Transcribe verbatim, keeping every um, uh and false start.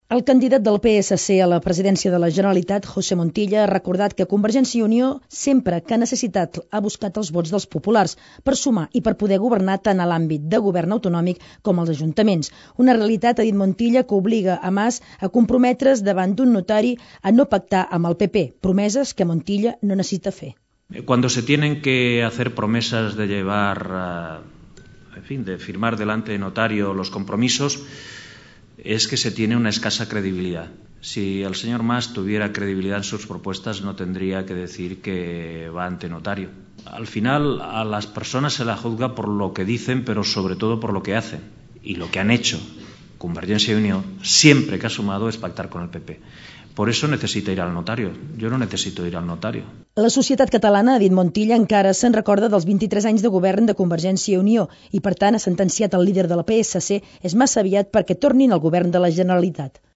El candidat del P S C a la presidència de la Generalitat, José Montilla, ha recordat que Convergència i Unió sempre que ha necessitat ha buscat els vots dels populars per sumar i per poder governar tant a l'àmbit de govern autonòmic com als ajuntaments. Una realitat, ha dit Montilla, que obliga a Mas a comprometre's davant d'un notari a no pactar amb el P P, promeses que Montilla no necessita fer. Cuando se tienen que hacer promesas de llevar, uh, en fin, de firmar delante de notario los compromisos, es que se tiene una escasa credibilidad. Si el señor Mas tuviera credibilidad en sus propuestas, no tendría que decir que va ante notario. Al final, a las personas se las juzga por lo que dicen, pero sobre todo por lo que hacen. Y lo que han hecho Convergencia y Unió, siempre que ha sumado, es pactar con el P P. Por eso necesita ir al notario. Yo no necesito ir al notario. La societat catalana, ha dit Montilla, encara se'n recorda dels vint-i-tres anys de govern de Convergència i Unió i, per tant, ha sentenciat el líder de la P S C és massa aviat perquè tornin al govern de la Generalitat.